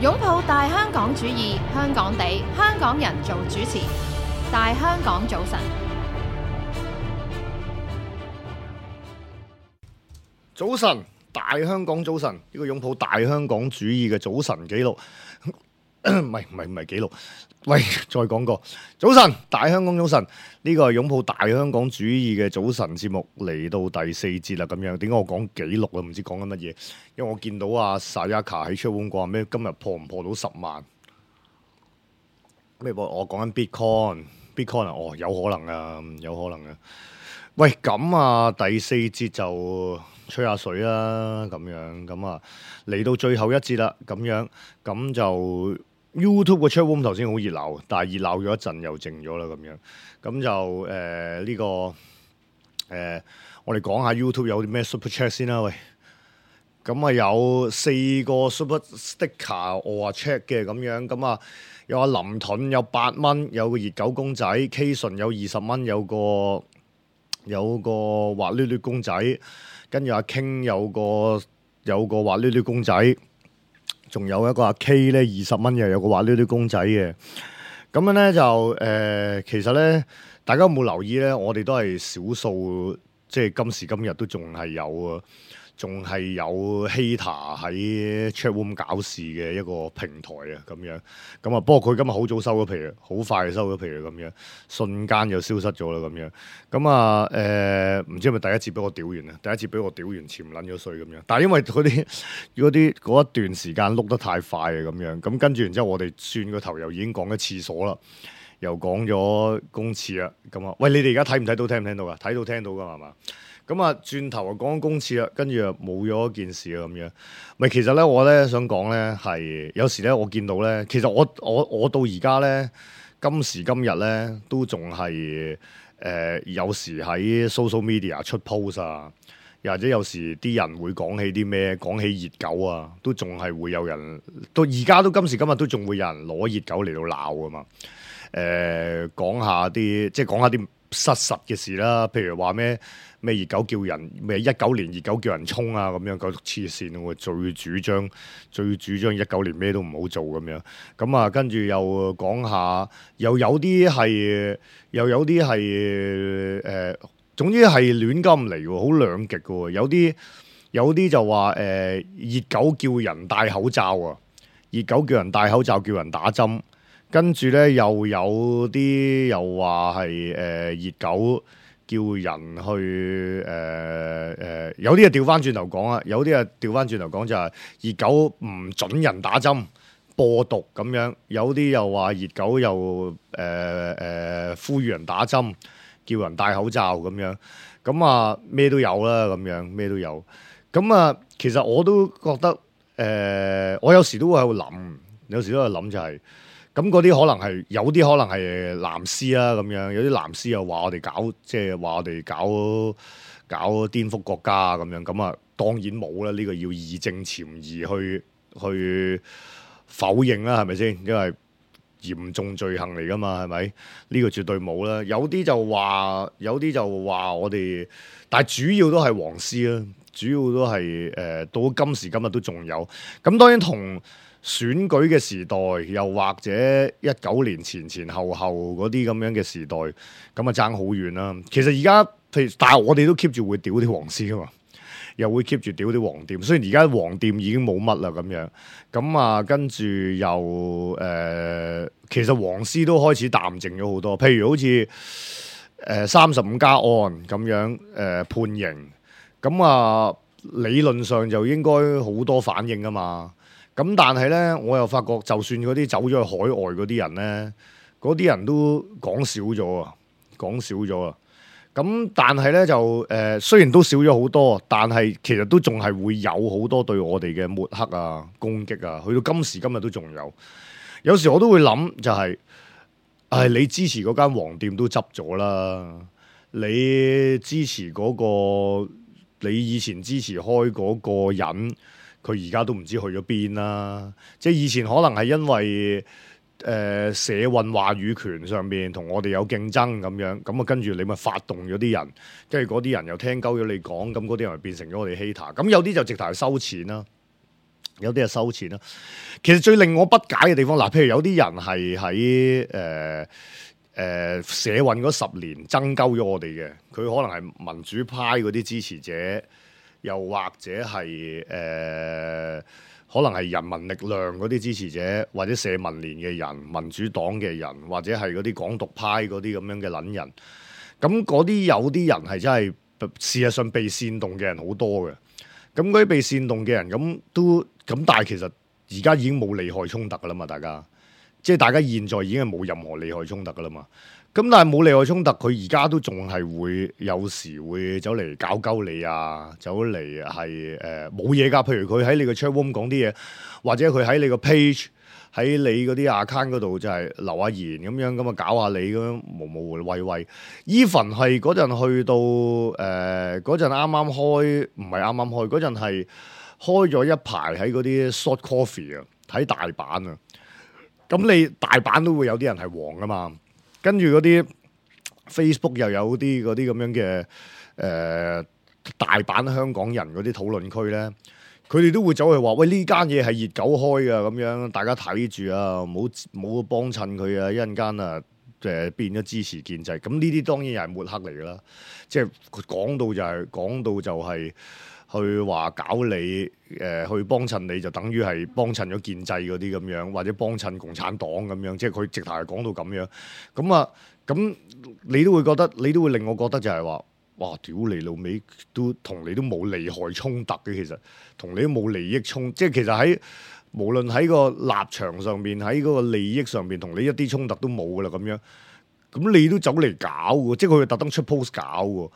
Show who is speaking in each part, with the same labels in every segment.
Speaker 1: 擁抱大香港主義，香港地，香港人做主持。大香港早晨，
Speaker 2: 早晨，大香港早晨，呢個擁抱大香港主義嘅早晨紀錄，唔係紀錄。喂，再講過，早晨，大香港早晨，呢個係擁抱大香港主義嘅早晨節目嚟到第4節啦。咁樣，點解我講紀錄啊？唔知講緊乜嘢？因為我見到阿 Sayaka 喺 chatroom 講咩，今日破唔破到10萬？咩？我講緊 Bitcoin 啊？哦，有可能啊，有可能啊。喂，咁啊，第4節就吹下水啦，咁樣咁啊，嚟到最後一節啦，咁樣咁就 YouTube 個 chatroom 頭先好熱鬧，但係熱鬧咗一陣又靜咗啦，咁樣咁就呢個我哋講下 YouTube 有啲咩 Super Chat 先啦，喂，咁啊有4個 Super Sticker 我話 check 嘅咁樣，咁啊有阿林盾有8蚊，有個熱狗公仔 K 順有20蚊，有個滑捋捋公仔，跟住阿 King 有個滑捋捋公仔，仲有一個阿 K 咧20蚊又有個滑捋捋公仔嘅。咁樣咧就其實咧大家有冇留意咧？我哋都係少數，即係今時今日都仲係有 hater 喺 chatroom 搞事嘅一個平台啊，咁樣咁啊。不過佢今日好早收咗皮啊，好快就收咗皮啊，咁樣瞬間就消失咗啦，咁樣咁啊唔知係咪第一次俾我屌完啊？第一次俾我屌完潛撚咗水咁樣，但係因為嗰一段時間碌得太快啊，咁樣咁跟住然之後我哋轉個頭又已經講咗廁所啦，又講咗公廁啦，咁啊喂，你哋而家睇唔睇到聽唔聽到噶？睇到聽到噶係嘛？咁啊，轉頭啊講公廁啦，跟住啊冇咗件事啊咁樣。咪其實咧，我咧想講咧係有時咧，我見到咧，其實我到而家咧，今時今日咧都仲係有時喺 social media 出 post 啊，又或者有時啲人會講起啲咩，講起熱狗啊，都仲係會有人到而家都今時今日都仲會有人攞熱狗嚟到鬧啊嘛。講下啲失實嘅事啦，譬如話咩熱狗叫人咩19年熱狗叫人衝啊咁樣，夠黐線喎！最主張19年咩都唔好做咁樣，咁啊跟住又講下，又有啲係總之係亂咁嚟喎，好兩極嘅喎，有啲就話熱狗叫人戴口罩啊，熱狗叫人戴口罩叫人打針。跟住咧，又有啲又話係熱狗叫人去有啲啊調翻轉頭講啊，有啲啊調翻轉頭講就係熱狗唔準人打針播毒咁樣，有啲又話熱狗又呼籲人打針，叫人戴口罩咁樣，咁啊咩都有啦，咁樣咩都有，咁啊其實我都覺得我有時都會喺度諗，就係。咁嗰啲可能係有啲可能係藍絲啦咁樣，有啲藍絲又話我哋搞顛覆國家咁樣，咁啊當然冇啦，呢個要義正詞嚴去否認啦，係咪先？因為嚴重罪行嚟噶嘛，係咪？呢個絕對冇啦。有啲就話我哋，但係主要都係黃絲啦，主要都係到今時今日都仲有。咁當然同選舉嘅時代，又或者19年前後嗰啲咁樣嘅時代，咁啊爭好遠啦。其實而家但係我哋都 keep 住會屌啲黃絲噶嘛，又會 keep 住屌啲黃店。雖然而家黃店已經冇乜啦咁樣，咁啊跟住又其實黃絲都開始淡靜咗好多。譬如好似35加案咁樣判刑，咁啊理論上就應該好多反應噶嘛。咁但係咧，我又發覺，就算嗰啲走咗去海外嗰啲人咧，嗰啲人都講少咗啊。咁但係咧就雖然都少咗好多，但係其實都仲係會有好多對我哋嘅抹黑啊、攻擊啊，去到今時今日都仲有。有時我都會諗，就係你支持嗰間黃店都執咗啦，你支持嗰個，你以前支持開嗰個人。佢而家都唔知去咗邊啦，即係以前可能係因為社運話語權上面同我哋有競爭咁樣，咁啊跟住你咪發動咗啲人，跟住嗰啲人又聽鳩咗你講，咁嗰啲人咪變成咗我哋 hater，咁有啲就直頭係收錢啦。有啲係收錢啦。其實最令我不解嘅地方，嗱，譬如有啲人係喺社運嗰10年爭鳩咗我哋嘅，佢可能係民主派嗰啲支持者，又或者係可能係人民力量嗰啲支持者，或者社民連嘅人、民主黨嘅人，或者係嗰啲港獨派嗰啲咁樣嘅撚人。咁嗰啲有啲人係真係事實上被煽動嘅人好多嘅。咁嗰啲被煽動嘅人咁，但係其實而家已經冇利害衝突噶啦嘛，大家即係大家現在已經係冇任何利害衝突噶啦嘛。咁但係冇利害衝突，佢而家都仲係會有時會走嚟搞鳩你啊，走嚟係冇嘢㗎。譬如佢喺你個 chat room 講啲嘢，或者佢喺你個 page 喺你嗰啲 account 嗰度就係留下言咁樣，咁啊搞下你咁樣無無謂謂。even 係嗰陣去到嗰陣啱啱開，唔係啱啱開嗰陣係開咗一排喺嗰啲 short coffee 啊，喺大阪啊。咁你大阪都會有啲人係黃㗎嘛。跟住嗰啲 Facebook 又有啲嗰啲咁樣嘅大阪香港人嗰啲討論區咧，佢哋都會走去話：喂，呢間嘢係熱狗開㗎，咁樣大家睇住啊，唔好幫襯佢啊！一陣間啊變咗支持建制，咁呢啲當然又係抹黑嚟㗎啦。即係講到就係去話搞你去幫襯你，就等於係幫襯咗建制嗰啲咁樣，或者幫襯共產黨咁樣，即係佢直頭係講到咁樣。咁你都會覺得，你都會令我覺得就係話，哇！屌你老味，都同你都冇利害衝突嘅，其實同你都冇利益衝，即係其實喺無論喺個立場上面，喺嗰個利益上面，同你一啲衝突都冇噶啦咁樣。咁你都走嚟搞喎，即係佢會特登出 post 搞喎。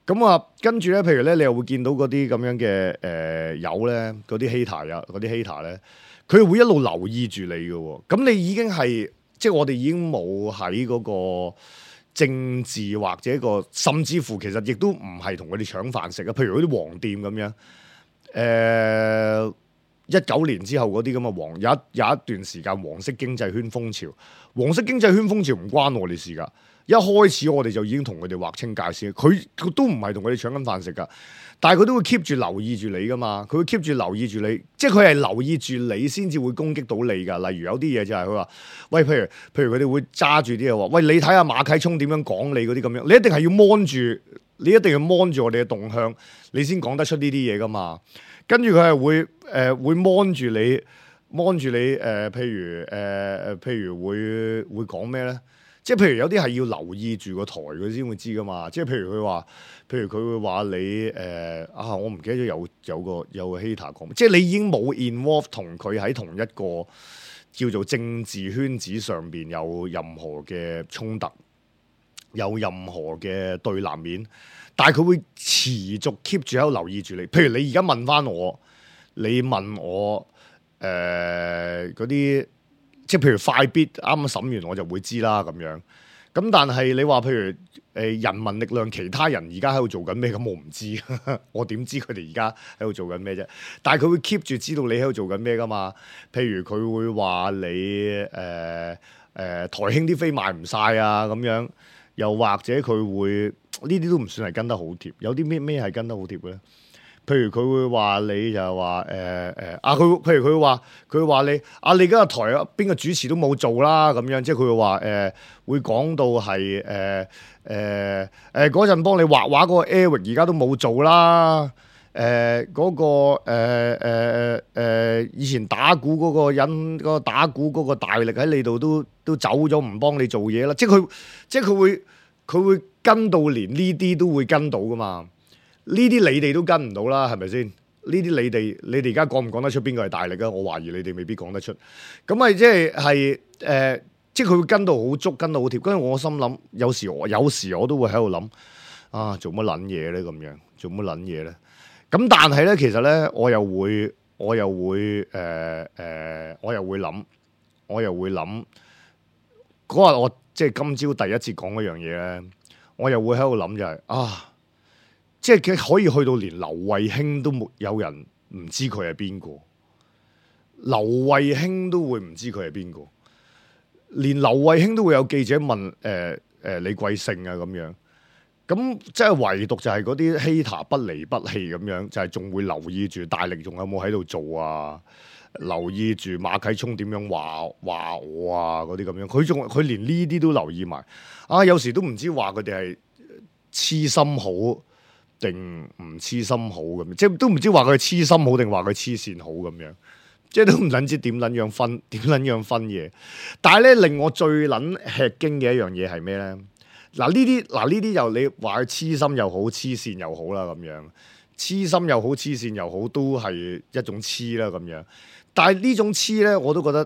Speaker 2: 咁啊，跟住咧，譬如咧，你又會見到嗰啲咁樣嘅友咧，嗰啲 hater 啊，嗰啲 hater 咧，佢會一路留意住你嘅喎。咁你已經係，即係我哋已經冇喺嗰個政治或者甚至乎其實亦都唔係同佢哋搶飯食啊。譬如嗰啲黃店咁樣，19年之後嗰啲咁嘅有一段時間黃色經濟圈風潮，黃色經濟圈風潮唔關我哋事㗎。一開始我哋就已經同佢哋劃清界線，佢都唔係同佢哋搶緊飯食㗎，但係佢都會 keep 住留意住你㗎嘛，佢會 keep 住留意住你，即係佢係留意住你先至會攻擊到你㗎。例如有啲嘢就係佢話，喂，譬如佢哋會揸住啲嘢話，喂，你睇下馬啟聰點樣講你嗰啲咁樣，你一定係要 mon 住，你一定要 mon 住我哋嘅動向，你先講得出呢啲嘢㗎嘛。跟住佢係會 mon 住你譬如會講咩咧？即係譬如有啲係要留意住個台佢先會知噶嘛，即係譬如佢會話你我唔記得咗有個 hater 講，即係你已經冇 involve 同佢喺同一個叫做政治圈子上邊有任何嘅衝突，有任何嘅對立面，但係佢會持續 keep 住喺度留意住你。譬如你而家問翻我，你問我嗰啲。即係譬如快必啱啱審完我就會知啦咁樣，咁但係你話譬如人民力量其他人而家喺度做緊咩，咁我唔知，我點知佢哋而家喺度做緊咩啫？但係佢會 keep 住知道你喺度做緊咩噶嘛？譬如佢會話你台興啲飛賣唔晒啊咁樣，又或者佢會呢啲都唔算係跟得好貼，有啲咩係跟得好貼嘅咧？譬如佢會話你就係話譬如佢話你你而家個台邊個主持都冇做啦咁樣，即係佢會話會講到係嗰陣幫你畫畫嗰個 Eric 而家都冇做啦，以前打鼓嗰個人，嗰個打鼓嗰個大力喺你度都走咗唔幫你做嘢啦，即係佢會跟到連呢啲都會跟到噶嘛。呢啲你哋都跟唔到啦，係咪先？呢啲你哋而家講唔講得出邊個係大力啊？我懷疑你哋未必講得出。咁咪即係即係佢會跟到好足，跟到好貼。跟住我心諗，有時我都會喺度諗啊，做乜撚嘢咧？咁樣做乜撚嘢咧？咁但係咧，其實咧，我又會諗嗰日我即係今朝第一次講嗰樣嘢咧，我又會喺度諗就係即係佢可以去到連劉慧卿都冇有人唔知佢係邊個，劉慧卿都會唔知佢係邊個，連劉慧卿都會有記者問李貴勝啊咁樣，咁即係唯獨就係嗰啲 hater 不離不棄咁樣，就係仲會留意住大力仲有冇喺度做啊？留意住馬啟聰點樣話我啊嗰啲咁樣，佢連呢啲都留意埋啊！有時都唔知話佢哋係痴心好定唔痴心好咁，即係都唔知話佢係痴心好定話佢黐線好咁樣，即係都唔撚知點撚樣分嘢。但係咧令我最撚吃驚嘅一樣嘢係咩咧？嗱呢啲又你話佢痴心又好黐線又好啦咁樣，痴心又好黐線又好都係一種黐啦咁樣。但係呢種黐咧我都覺得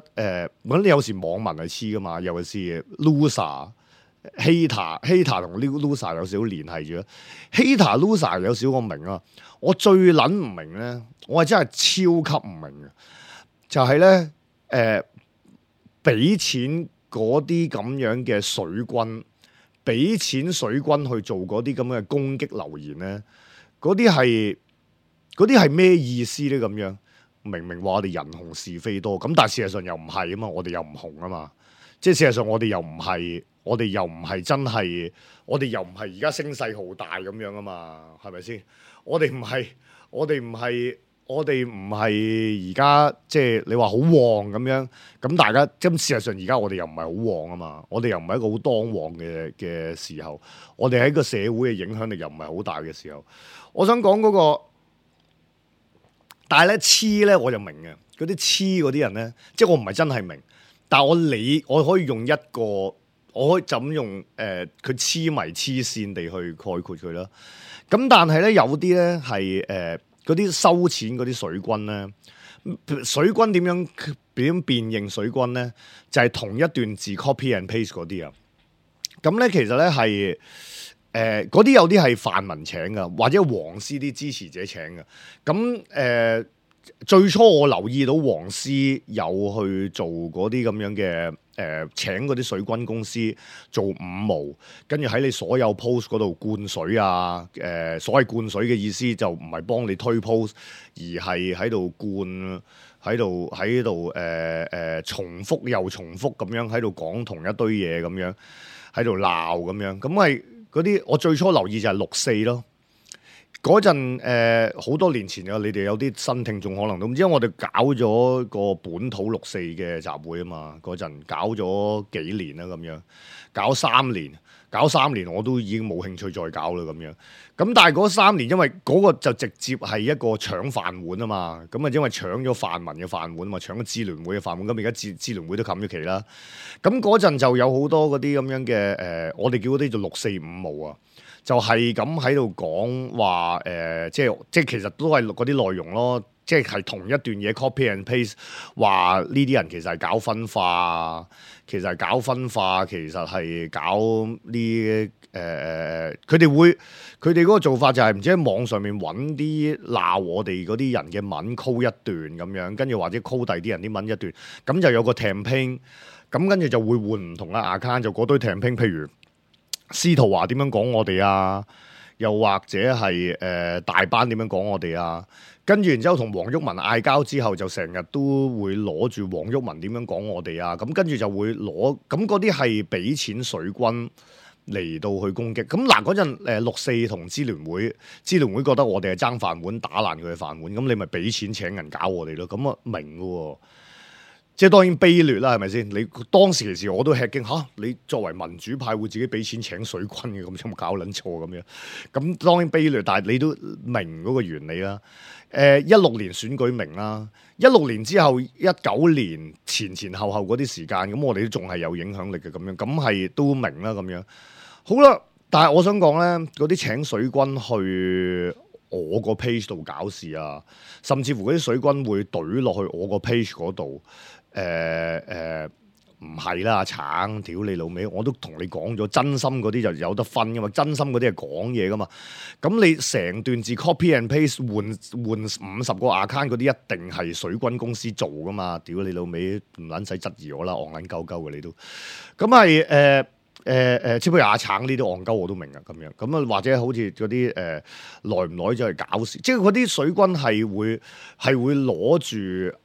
Speaker 2: 咁你有時網民係黐噶嘛，尤其是 loser。hater 同 loser 有少少聯繫住 hater loser 有少我明啊，我最撚唔明咧，我係真係超級唔明嘅，就係咧俾錢嗰啲咁樣嘅水軍，俾錢水軍去做嗰啲咁嘅攻擊留言咧，嗰啲係咩意思咧？咁樣明明話我哋人紅是非多，咁但係事實上又唔係啊嘛，我哋又唔紅啊嘛，即係事實上我哋又唔係真係，我哋又唔係而家聲勢浩大咁樣啊嘛，係咪先？我哋唔係而家即係你話好旺咁樣，咁大家咁事實上而家我哋又唔係好旺啊嘛，我哋又唔係一個好當旺嘅時候，我哋喺個社會嘅影響力又唔係好大嘅時候，我想講嗰個，但係咧黐咧我就明嘅，嗰啲黐嗰啲人咧，即係我唔係真係明，但係我可以用一個，我可以就咁用佢黐迷黐線地去概括佢啦。咁但係咧有啲咧係嗰啲收錢嗰啲水軍咧，水軍點樣辨認水軍咧？就係同一段字 copy and paste 嗰啲啊。咁咧其實咧係嗰啲有啲係泛民請噶，或者黃絲啲支持者請嘅。咁最初我留意到黃絲有去做嗰啲咁樣嘅請嗰啲水軍公司做五毛，跟住喺你所有 post 嗰度灌水啊！所謂灌水嘅意思就唔係幫你推 post，而係喺度灌，喺度重複又重複咁樣喺度講同一堆嘢咁樣，喺度鬧咁樣。咁係嗰啲我最初留意就係6·4咯。嗰陣好多年前啊，你哋有啲新聽眾可能都唔知，因為我哋搞咗個本土6·4嘅集會啊嘛，嗰陣搞咗幾年啦咁樣，搞3年我都已經冇興趣再搞啦咁樣。咁但係嗰3年，因為嗰個就直接係一個搶飯碗啊嘛，咁啊因為搶咗泛民嘅飯碗嘛，搶咗支聯會嘅飯碗，咁而家支聯會都冚咗旗啦。咁嗰陣就有好多嗰啲咁樣嘅我哋叫嗰啲做6·4五毛啊。就係咁喺度講話即係其實都係嗰啲內容咯，即係同一段嘢 copy and paste， 話呢啲人其實係搞分化，其實係搞呢佢哋嗰個做法就係唔知喺網上面揾啲鬧我哋嗰啲人嘅文 call 一段咁樣，跟住或者 call 第啲人啲文一段，咁就有個 campaign， 咁跟住就會換唔同嘅 account， 就嗰堆 campaign， 譬如司徒華點樣講我哋啊，又或者係大班點樣講我哋啊，跟住然之後同黃毓民嗌交之後，就成日都會攞住黃毓民點樣講我哋啊，咁跟住就會攞，咁嗰啲係俾錢水軍嚟到去攻擊。咁嗱嗰陣6·4同支聯會覺得我哋係爭飯碗，打爛佢嘅飯碗，咁你咪俾錢請人搞我哋咯，咁啊明嘅喎。即係當然卑劣啦，係咪先？你當時其實我都吃驚嚇，你作為民主派會自己俾錢請水軍嘅，咁有冇搞撚錯咁樣？咁當然卑劣，但係你都明嗰個原理啦。16年選舉明啦，16年之後19年前後嗰啲時間，咁我哋都仲係有影響力嘅咁樣，咁係都明啦咁樣。好啦，但係我想講咧，嗰啲請水軍去我個 page 度搞事啊，甚至乎嗰啲水軍會懟落去我個 page 嗰度。唔係啦，橙屌你老味，我都同你講咗，真心嗰啲就有得分噶嘛，真心嗰啲係講嘢噶嘛。咁你成段字 copy and paste 換50個 account 嗰啲，一定係水軍公司做噶嘛。屌你老味，唔撚使質疑我啦，戇撚鳩鳩嘅你都。咁係即係譬如阿橙呢啲戇鳩我都明啊，咁樣咁啊，或者好似嗰啲耐唔耐就係搞事，即係嗰啲水軍係會攞住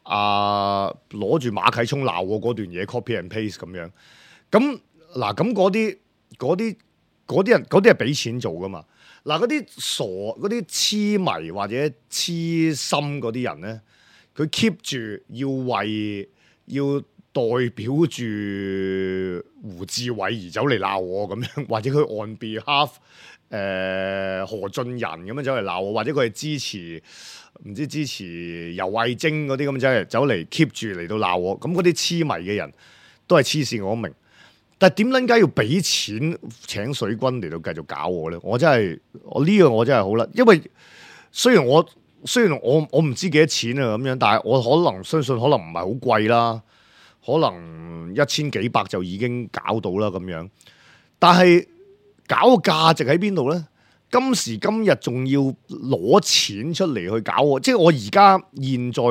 Speaker 2: 馬啟聰鬧我嗰段嘢 copy and paste 咁樣。咁嗱，咁嗰啲人嗰啲係俾錢做噶嘛。嗱，嗰啲傻嗰啲痴迷或者痴心嗰啲人咧，佢 keep 住要代表住胡志偉而走嚟鬧我咁樣，或者佢 on behalf 何俊仁咁樣走嚟鬧我，或者佢係支持游蕙禎嗰啲咁走嚟 keep 住嚟到鬧我，咁嗰啲痴迷嘅人都係黐線，我明。但係點撚解要俾錢請水軍嚟到繼續搞我咧？我呢樣我真係好啦，因為雖然我唔知幾多錢啊咁樣，但係我相信可能唔係好貴啦。可能1000幾百就已經搞到啦咁樣，但係搞個價值喺邊度呢？今時今日仲要攞錢出嚟去搞我，即係我而家現在我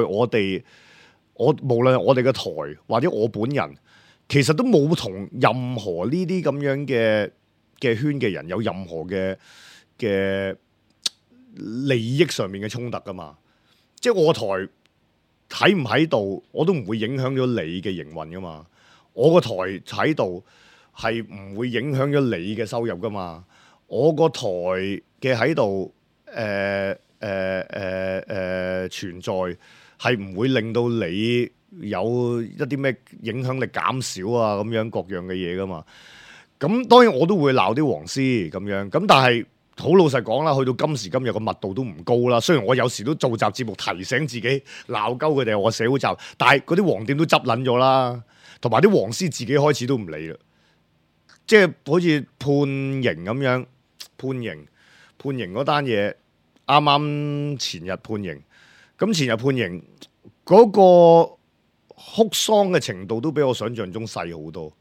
Speaker 2: 無論我哋嘅台或者我本人，其實都冇同任何呢啲咁樣嘅圈嘅人有任何嘅利益上面嘅衝突噶嘛，即係我台。喺唔喺度，我都唔會影響咗你嘅營運噶嘛。我個台喺度係唔會影響咗你嘅收入噶嘛。我個台嘅喺度，存在係唔會令到你有一啲咩影響力減少啊咁樣各樣嘅嘢噶嘛。咁當然我都會鬧啲黃絲咁樣，咁但係。好老實講啦，去到今時今日個密度都唔高啦。雖然我有時都做集節目提醒自己鬧鳩佢哋係我社會集，但係嗰啲黃店都執撚咗啦，同埋啲黃絲自己開始都唔理啦。即係好似判刑咁樣，判刑嗰單嘢啱啱前日判刑，咁前日判刑嗰個哭喪嘅程度都比我想象中細好多。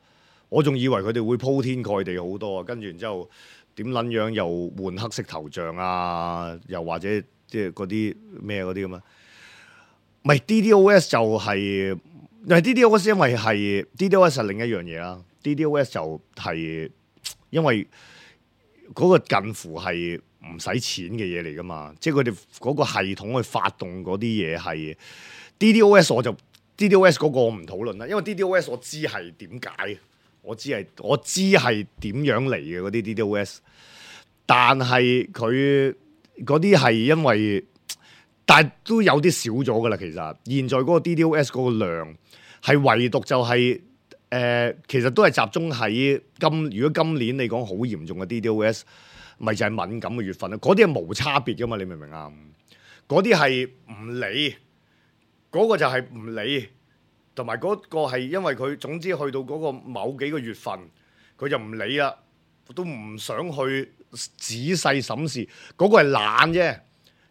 Speaker 2: 我仲以為佢哋會鋪天蓋地好多，跟住然之後。點撚樣又換黑色頭像啊？又或者即係嗰啲咩嗰啲咁啊？唔係 DDoS 就係，唔係 DDoS， 因為係 DDoS 係另一樣嘢啦。DDoS 就係因為嗰個近乎係唔使錢嘅嘢嚟噶嘛，即係佢哋嗰個系統去發動嗰啲嘢係 DDoS， DDoS 嗰個我唔討論啦，因為 DDoS 我知係點解。我知係點樣嚟嘅嗰啲 DDoS， 但係佢嗰啲係因為，但係都有啲少咗噶啦。其實現在嗰個 DDoS 嗰個量係唯獨就係、其實都係集中喺如果今年你講好嚴重嘅 DDoS， 咪就係敏感嘅月份啦。嗰啲係無差別噶嘛，你明唔明啊？嗰啲係唔理，嗰個就係唔理。同埋嗰個係因為佢總之去到嗰個某幾個月份，佢就唔理啦，都唔想去仔細審視。嗰個係懶啫，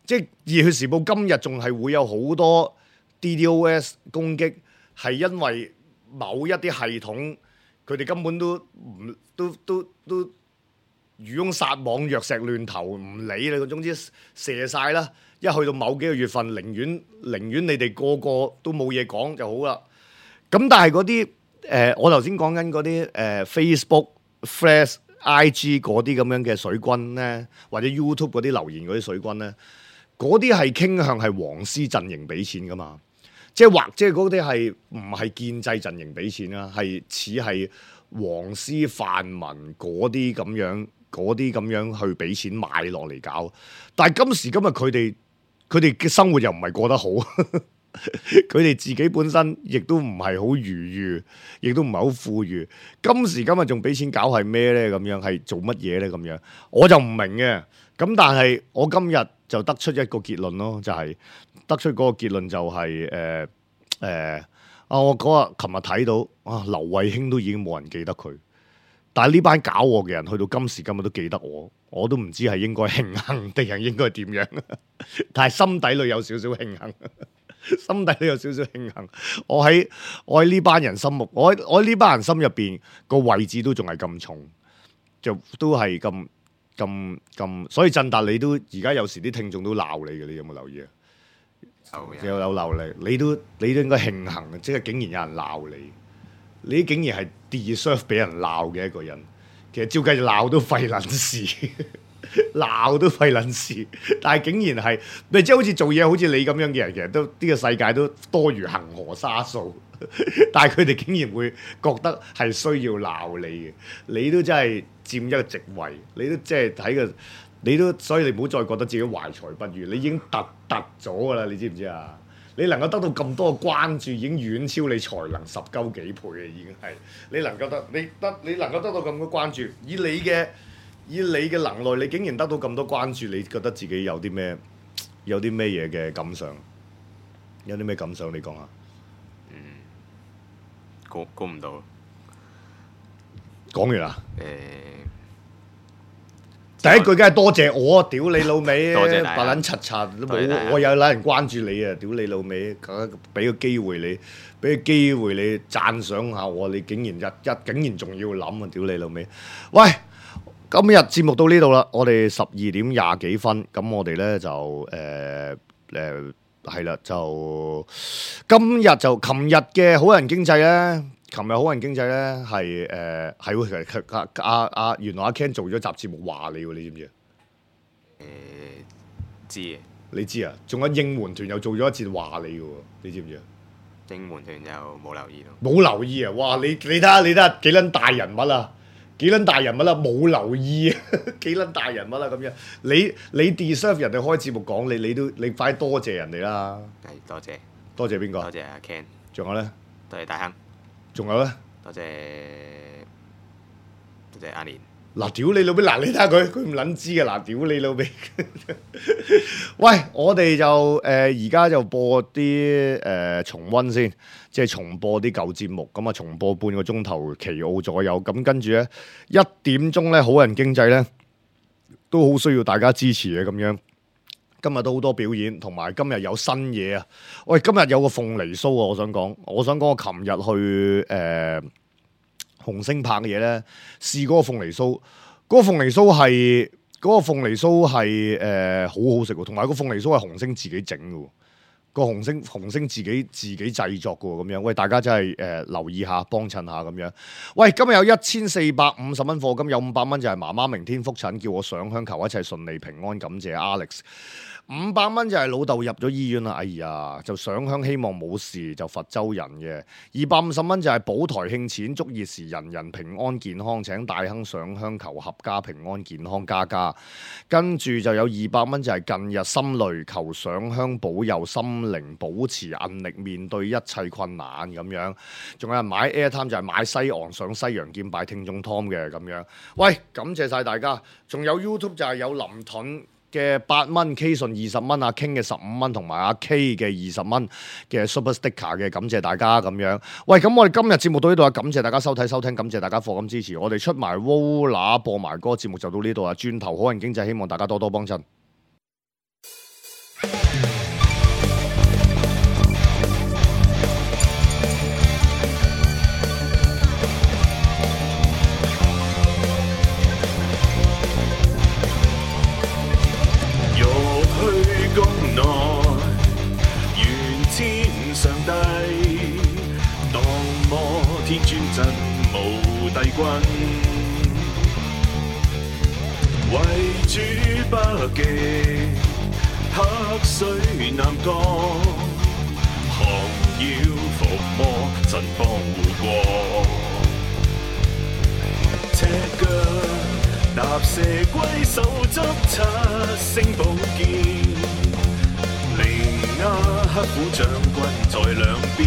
Speaker 2: 即係《熱血時報》今日仲係會有好多 DDoS 攻擊，係因為某一啲系統佢哋根本都漁翁撒網，藥石亂投，唔理你。總之射晒啦，一去到某幾個月份，寧願你哋個個都冇嘢講就好啦。咁但係嗰啲我頭先講緊嗰啲Facebook、Flash、IG 嗰啲咁樣嘅水軍咧，或者 YouTube 嗰啲留言嗰啲水軍咧，嗰啲係傾向係黃絲陣營俾錢噶嘛，即係嗰啲係唔係建制陣營俾錢啦，係似係黃絲泛民嗰啲咁樣去俾錢買落嚟搞。但係今時今日佢哋嘅生活又唔係過得好。佢哋自己本身亦都唔係好愉悦，亦都唔係好富裕。今時今日仲俾錢搞係咩呢？咁樣係做乜嘢呢？咁樣我就唔明嘅。咁但係我今日就得出一個結論咯，就係得出嗰個結論就係我嗰日琴日睇到劉慧卿都已經冇人記得佢，但係呢班搞我嘅人去到今時今日都記得我都唔知係應該慶幸定係應該點樣，但係心底裏有少少慶幸。心底都有少少慶幸，我喺呢班人心目，我喺呢班人心入邊個位置都仲係咁重，就都係咁，所以振達你都而家有時啲聽眾都鬧你嘅，你有冇留意啊？有鬧你，你都應該慶幸，即係竟然有人鬧你，你竟然係 deserve 俾人鬧嘅一個人，其實照計鬧都費撚事。鬧都費撚事，但係竟然係，即係好似做嘢好似你咁樣嘅人，其實都呢個世界都多如恆河沙數，但係佢哋竟然會覺得係需要鬧你嘅，你都真係佔一個席位，你都即係睇個，你都所以你唔好再覺得自己懷才不遇，你已經突咗㗎啦，你知唔知啊？你能夠得到咁多嘅關注，已經遠超你才能10鳩幾倍嘅，已經係你能夠得到咁多關注，以你嘅能耐，你竟然得到咁多關注，你覺得自己有啲咩嘢嘅感想？有啲咩感想？你講下。
Speaker 3: 估唔到。
Speaker 2: 講完啦。第一句梗係多謝我，屌你老味，
Speaker 3: 多謝大家
Speaker 2: 白撚柒柒都冇，我有撚人關注你啊！屌你老味，俾個機會你讚賞下我，你竟然仲要諗啊！屌你老味，喂！今日節目到呢度啦，我哋12點20幾分，咁我哋咧就係啦，就今日就琴日嘅好人經濟咧。琴日好人經濟咧係原來阿 Ken 做咗集節目話你喎，你知唔知啊？
Speaker 3: 知嘅。
Speaker 2: 你知啊？仲有應援團又做咗一節話你嘅喎，你知唔知啊？
Speaker 3: 應援團又冇留意咯。
Speaker 2: 冇留意啊！哇！你睇下幾撚大人物啊！幾撚大人物啦，冇留意啊！幾撚大人物啦咁樣，你 deserve 人哋開節目講你快多謝人哋啦！
Speaker 3: 係多謝。
Speaker 2: 多謝邊個？
Speaker 3: 多謝阿 Ken。
Speaker 2: 仲有咧？
Speaker 3: 多謝大亨。
Speaker 2: 仲有咧？
Speaker 3: 多謝阿年。
Speaker 2: 嗱，屌你老味！嗱，你睇下佢唔撚知嘅。嗱，屌你老味！喂，我哋就而家就播啲重溫先，即係重播啲舊節目。咁啊，重播半個鐘頭奇奧左右。咁跟住咧1點鐘咧，好人經濟咧都好需要大家支持嘅咁樣。今日都好多表演，同埋今日有新嘢啊！喂，今日有個鳳梨酥啊！我想講，我琴日去紅星拍嘅嘢咧，試嗰個鳳梨酥，嗰個鳳梨酥係好好食喎，同埋個鳳梨酥係紅星自己整嘅喎，個紅星自己製作嘅喎，咁樣，喂，大家真係留意下，幫襯下咁樣。喂，今日有1450蚊課金，有500蚊就係媽媽明天覆診，叫我上香求一切順利平安，感謝 Alex。500蚊就係老豆入咗醫院啦，哎呀，就上香希望冇事，就佛州人嘅。250蚊就係保台慶錢，祝熱時人人平安健康，請大亨上香求合家平安健康家家。跟住就有200蚊就係近日心累，求上香保佑心靈保持韌力，面對一切困難咁樣。仲有人買 Airtime 就係買西昂上西洋劍拜聽眾 Tom 嘅咁樣。喂，感謝晒大家。仲有 YouTube 就係有林盾嘅8蚊 K 順20蚊，阿 King 嘅15蚊，同埋阿 K 嘅20蚊嘅 Super Sticker 嘅，感謝大家咁樣。喂，咁我哋今日節目到呢度啊，感謝大家收睇收聽，感謝大家課金支持，我哋出埋 Vola 播埋歌，節目就到呢度啊，轉頭好人經濟，希望大家多多幫襯。
Speaker 4: 上帝當摩天尊真無帝君，為主北極黑水南降，降妖伏魔神幫護國，赤腳踏蛇龜手執7星寶劍。亞黑虎將軍在兩邊，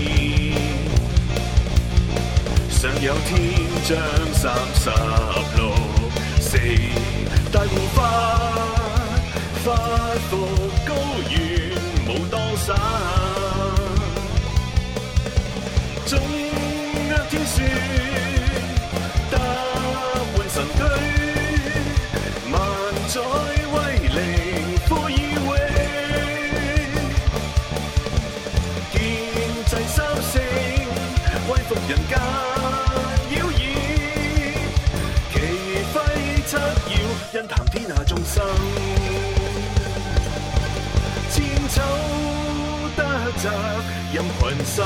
Speaker 4: 上有天將36、4大護法，發服高原武當山，中厄天書搭滿神駒，萬載威靈呼以榮。人間妖異，旗揮七曜，因談天下眾生，千秋得責任群生。